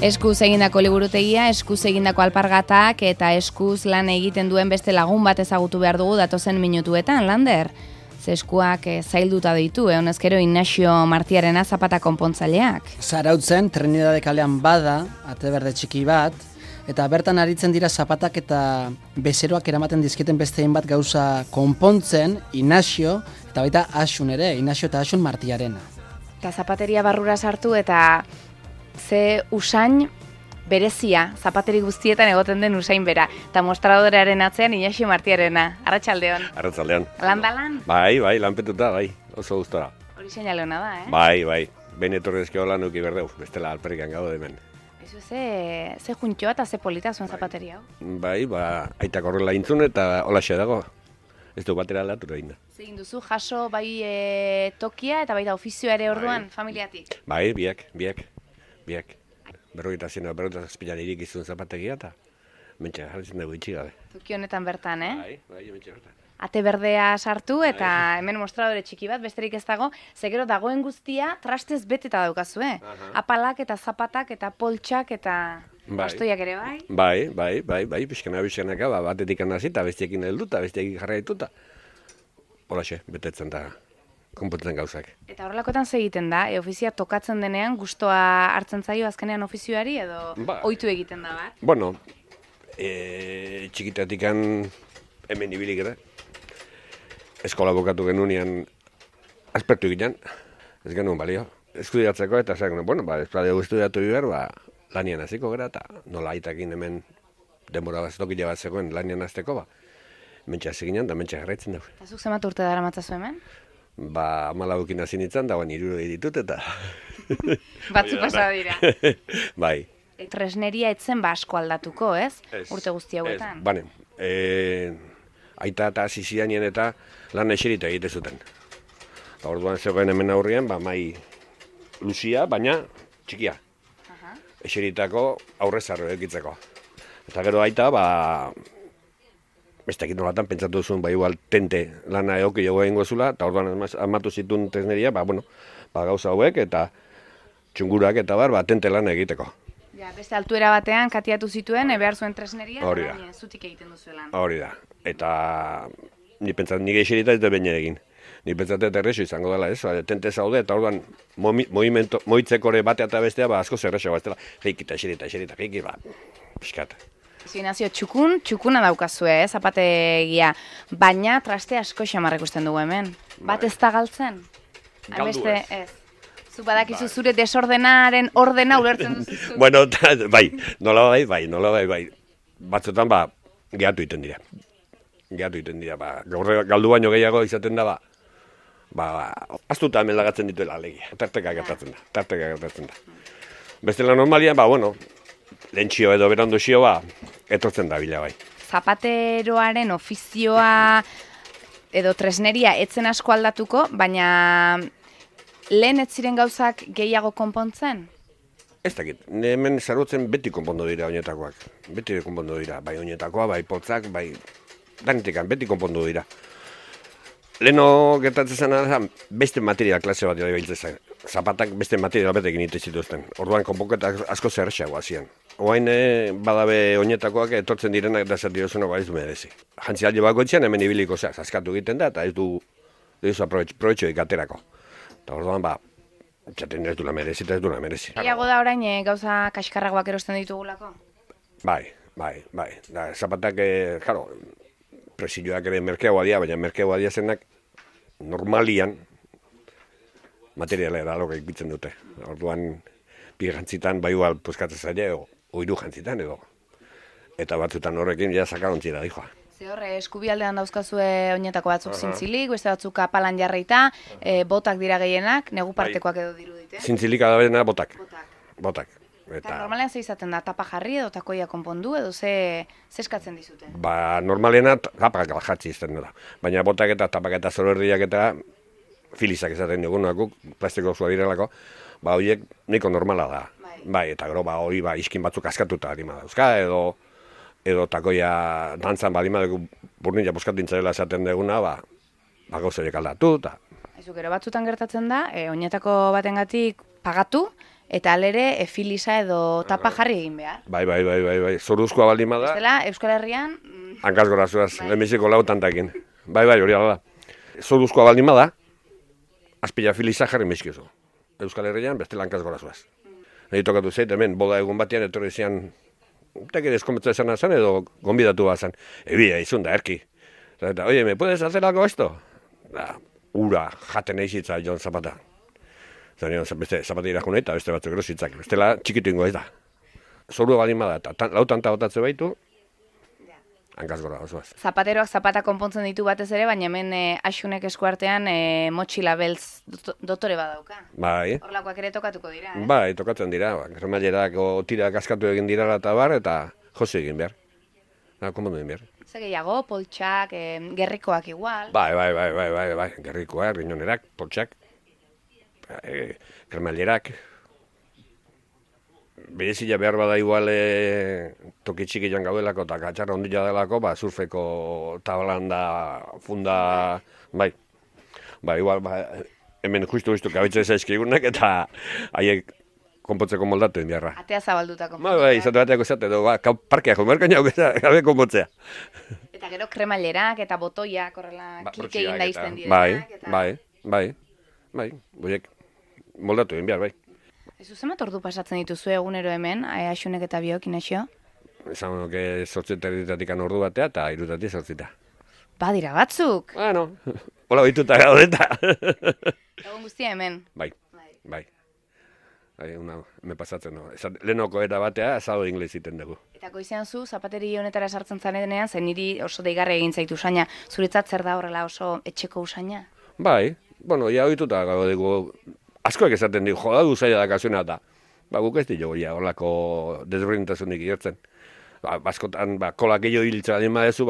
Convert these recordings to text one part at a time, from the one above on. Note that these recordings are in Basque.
Eskuz egindako liburutegia, eskuz egindako alpargatak eta eskuz lan egiten duen beste lagun bat ezagutu behar dugu datozen minutuetan, Lander. Ze eskuak zailduta ditu, honezkero Ignacio Martiarena zapata konpontzaileak. Zarautzen, Trinidade kalean bada, ate berde txiki bat, eta bertan aritzen dira zapatak eta bezeroak eramaten dizketen beste hainbat gauza konpontzen, Ignacio, eta baita Asun ere, Ignacio eta Asun Martiarena. Eta zapateria barrura sartu eta ze usain berezia, zapateri guztietan egoten den usain bera. Eta mostradorearen atzean Ignacio Martiarena. Arratsaldeon. Arratsaldeon. Lan? Bai, lanpetuta, bai. Oso gustora. Hori seinale ona da, Bai. Ben etorrezkio lan uki berdeu. Bestela alperrikan gaude hemen. Eso ze juntxoa eta ze polita zuen zapateria hau. Bai, aitak horrela intzun eta holaxe dago. Ez du batera aldatu egin da. Zegin duzu, jaso bai tokia eta baita ofizioa ere orduan, familiatik? Bai, biak. Berrogeita zazpilan irik izun zapategia eta mentxe jarritzen dugu itxi gabe. Toki honetan bertan, Bai, mentxe bertan. Ate berdea sartu eta hemen mostradore txiki bat, besterik ez dago, zegero dagoen guztia trastez beteta daukazu, Apalak eta zapatak eta poltsak eta bastoiak ere bai? Bai, pixkanaka, batetik anasi eta bestiekin heldu eta bestiekin jarraitu eta holaxe, betetzen da konpontzen gauzak. Eta horrelakoetan ze egiten da? Ofizia tokatzen denean gustoa hartzen zaio azkenean ofizioari edo ohitu egiten da bat? Bueno, txikitatikan hemen ibilik ere. Eskola bukatu genunean aspertu egiten, ez genuen balio. Estudiatzeko eta zer genuen, ez badeu estudiatu behar, lanian hasiko gara eta nola aitakin hemen denbora bat tokila bat zegoen lanian hasteko, mentxe hasi ginen eta mentxe jarraitzen dugu. Eta zuk zenbat urte dara matzazu hemen? 14 hasi nintzen, dagoen 60 ditut eta... Batzu pasa dira. Bai. Tresneria etzen asko aldatuko, ez? Urte guzti hauetan. Bane, aita eta hasi zidanien eta lan eserita egite zuten. Orduan zegoen hemen aurrian, mai luzia, baina txikia. Eseritako aurrezarro egitzeko. Eta gero aita, bestekin nolatan pentsatu zuen, igual tente lana egoki jogo egingo zula, eta orduan amatu zituen tresneria, gauza hauek eta txungurak eta tente lana egiteko. Beste altuera batean katiatu zituen, behar zuen tresneria, eta zutik egiten duzuelan. Hori da. Eta ni pentsatzen nire eserita ez da baina egin. Ni pentsatzen eta erreso izango dela, tente zaude, eta orduan moitzekore batea eta bestea, asko zerrexo, ez dela, jeikita, eserita, pixkat. Ignacio, txukuna daukazue, zapategia, baina traste asko xamarrek usten dugu hemen. Bat ez da galtzen? Galdu ez. Zu badakizu zure desordenaren ordena ulertzen duzu. Bueno, nola bai. Batzutan, gehatu iten dira. Gaur galdu baino gehiago izaten da, aztuta hemen lagatzen dituela alegia. Tarteka gertatzen da. Bestela normalian, lentsio edo berandu xio, etortzen da bila bai. Zapateroaren ofizioa edo tresneria etzen asko aldatuko, baina lehen ez ziren gauzak gehiago konpontzen? Ez dakit, hemen zarutzen beti konpondu dira oinetakoak. Beti konpondu dira, bai oinetakoa, bai potzak, bai danitekan, beti konpondu dira. Leheno gertatzen zen beste material klase bat dira zen. Zapatak beste material batekin egiten zituzten. Orduan konponketak asko zerrexagoa zian. Oain badabe oinetakoak etortzen direnak da zer dirozuna ez du merezi. Jantzi alde bakoitzean hemen ibiliko zaskatu egiten da eta ez du proetxoik aterako. Eta orduan txaten ez duela merezi eta ez duela merezi. Iago da orain gauza kaskarragoak erosten ditugulako? Bai. Zapatak, presioak ere merkeagoa dira, baina merkeagoa dira zenak normalian materiala eralok egitzen dute. Orduan, bi jantzitan, igual puskatzen zaila, oiru jantzitan edo. Eta batzutan horrekin sakarontzira dihoa. Ze horre, eskubialdean dauzkazue oinetako batzuk zintzilik, beste batzuk apalan jarreita, botak dira gehienak, negu partekoak edo dirudite. Zintzilik adabena botak. Eta normalean ze izaten da, tapa jarri edo takoia konpondu edo ze eskatzen dizute? Normalena tapak jatzi izten da. Baina botak eta tapak eta zorberdiak eta filizak izaten dugunak, plastiko zua direlako, horiek nahiko normala da. Bai, eta gero hori iskin batzuk askatuta harima dauzka edo takoia dantzan badima dugu burnila buskatintzarela esaten duguna, gauzaiek aldatu. Gero batzutan gertatzen da, oinetako batengatik pagatu, eta alere filisa edo tapa jarri egin behar. Bai, zoruzkoa baldin bada. Bestela, Euskal Herrian... Hankaz gorazuaz, lehenbiziko lautantakin. Bai, hori ala da. Zoruzkoa baldin bada, azpila filisa jarri mizkizu. Euskal Herrian, bestela hankaz gorazuaz. Nahi tokatu zeit, hemen, boda egun batean, etorri zian, eta ere eskometza esan azan, edo gonbidatu bazan. Ebia, izun da, erki. Eta, oye, me puedes hacer algo esto? Da, ura, jaten eizitza, Jon Zapata. Zanion, beste Zapata irakun eta beste batzuk erositzak. Bestela, txikitu ingo ez da. Zorua baldin bada, eta lautanta botatze baitu, hankaz gora osoaz. Zapateroak zapata konpontzen ditu batez ere, baina hemen Axunek eskuartean motxila beltz dotore badauka. Bai. Horlakoak ere tokatuko dira, eh? Bai, tokatzen dira. Remailerak tirak askatu egin dira eta bar, eta jose egin behar. Komodo egin behar. Ze gehiago, poltsak, gerrikoak igual. Bai, gerrikoak, rinonerak, poltsak, kremailerak. Berezila behar bada igual toki txiki joan gaudelako eta katxarra ondila delako, surfeko tablanda, funda, bai, igual, hemen justu kabitze zaizkigunak eta haiek konpotzeko moldatu egin beharra. Atea zabalduta konpotzea. Bai, izate bateako izate, parkeak jomerkaina gabe konpotzea. Eta gero kremailerak eta botoiak horrela klik egin da izten direnak. Bai, boiek moldatu egin behar, bai. Ezu zemat ordu pasatzen dituzu egunero hemen, Axunek eta biok, Inaxio? Esan honoke 8:30 ordu batea eta 3:00 zortzita. Badira batzuk! Bueno, hola behituta gaudeta. Egun guztia hemen? Bai. Me pasatzen no. Lehenoko eta batea, azado inglez iten dugu. Eta goizean zu, zapateri honetara sartzen zanedenean, zen niri oso deigarri egin zaitu usaina. Zuretzat zer da horrela oso etxeko usaina? Bai, bueno, ja ohituta gago dugu. Askoak esaten dugu, joda du zaila dakazuna eta guk ez dugu horlako desberdintasunik igertzen. Askotan, kolak gehiago hiltzera dien badezu,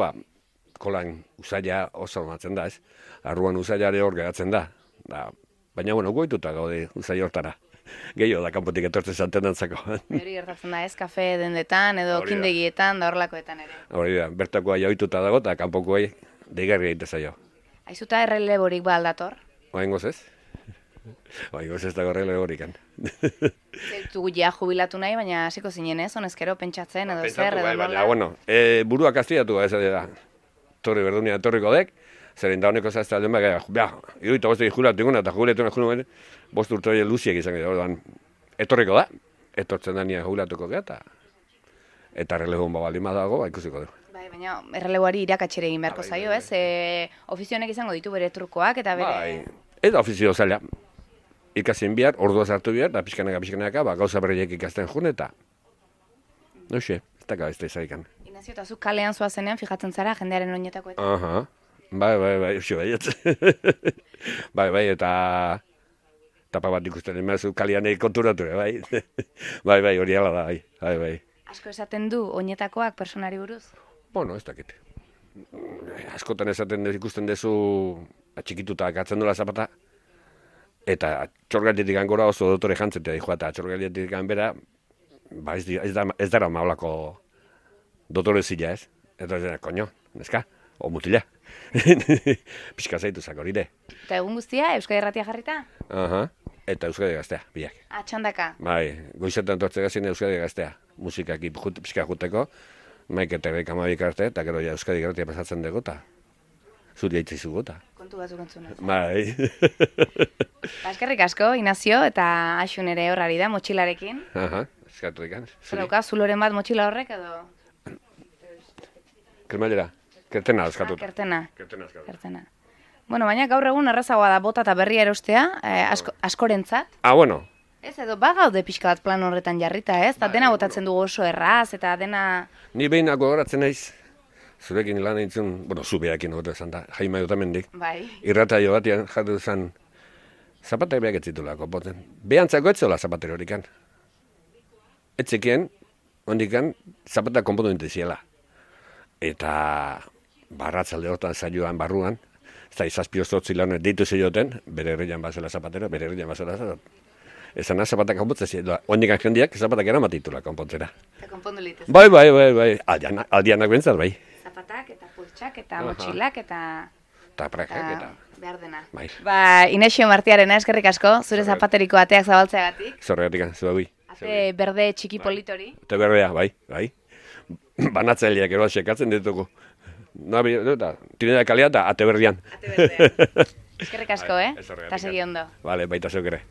kolan usaila oso matzen da, ez? Arruan usailare hor geratzen da. Baina, bueno, goituta gaude usaila hortara. Gehiago da kanpotik etortzen zanten dantzako. Hori gertatzen da, ez? Kafe dendetan edo kindegietan da horlakoetan ere. Hori da, bertakoa ohituta dago eta kanpokoa deigarri egite zaio. Aizuta erreleborik ba aldator? Oaingoz ez? Oaingoz ez dago erreleborikan. Zugu ja jubilatu nahi, baina hasiko zinen ez, honezkero pentsatzen edo zer edo nola. Baina, bueno, buruak aztiatu ez da. Torri berdunia etorriko dek, zeren da honeko zazte alden iruita bostu jubilatu inguna eta jubiletu nahi bostu urte hori luziek izan gara, etorriko da, etortzen da nire jubilatuko gara, eta errelebun baldin dago, ikusiko du. Baina erreleboari irakatxere egin beharko zaio, ez? Ofizionek izango ditu bere trukoak eta bere... Bai, eta ofizio zaila. Ikasien bihar, ordua zartu bihar, eta pixkanaka, gauza berriek ikasten jun, eta... Noixe, ez da gabezta izaikan. Inazio, eta zu kalean zoazenean fijatzen zara jendearen oinetako eta... Aha, bai, xo baiet. Bai, eta... Tapa bat ikusten emazu kalean konturatu, bai. Bai, hori ala da, bai. Asko esaten du oinetakoak personari buruz? Bueno, ez dakit. Askotan esaten ikusten dezu atxikituta gatzen dola zapata, eta txorgalietik gora oso dotore jantzetea dihoa, eta txorgalietik bera, ez dara maulako dotore zila ez. Eta ez dara, koño, neska, o mutila. Pixka zaitu zakoride. Eta egun guztia, Euskadi Irratia jarrita? Aha, eta Euskadi Gaztea, biak. Txandaka? Bai, goizetan tortze gazien Euskadi Gaztea. Musikak pixka juteko, maik eta erreik amabik arte, eta gero Euskadi Irratia pasatzen dugu, eta zuri haitzi zugu, eta. Kontu batzuk entzunez. Bai. Eskerrik asko, Inazio, eta Axun ere horrari da, motxilarekin. Aha, eskatu dikan. Zerauka, zuloren bat motxila horrek, edo? Kremailera, kertena eskatuta. Kertena. Bueno, baina gaur egun errazagoa da bota eta berria erostea, askorentzat. Bueno. Ez edo, bagaude pixka bat plan horretan jarrita, ez? Eta dena botatzen dugu oso erraz, eta dena... Ni behinak gogoratzen naiz, zurekin lan eintzun, bueno, zubeakin hogetu esan da, Jaime Otamendik. Bai. Irrataio batian jatu zen, zapatak behak etzitulako poten. Behantzako etzola zapatero horikan. Etzekien, hondikan, zapatak konpondu intiziela. Eta barratzalde hortan saioan barruan, ez da izazpiozotzi lan deitu zeioten, bere herrian bazela zapatero, bere herrian bazela zapatero. Ezan zapatak konpontzen ziren, hondikan jendiak zapatak eramatitula konpontzera. Eta konpondu litez. Bai, aldianak bentzat, bai. Zapatak eta pultsak eta motxilak eta... Eta prakak eta... Behar dena. Bai. Inesio Martiarena, eskerrik asko, zure zapateriko ateak zabaltzeagatik. Zorregatik, zuagui. Ate berde txiki politori. Ate berdea, bai. Banatzaileak eroa sekatzen ditugu. Tinera kalea eta ate berdean. Ate berdean. Eskerrik asko, eta segi ondo. Vale, baita zeuk ere.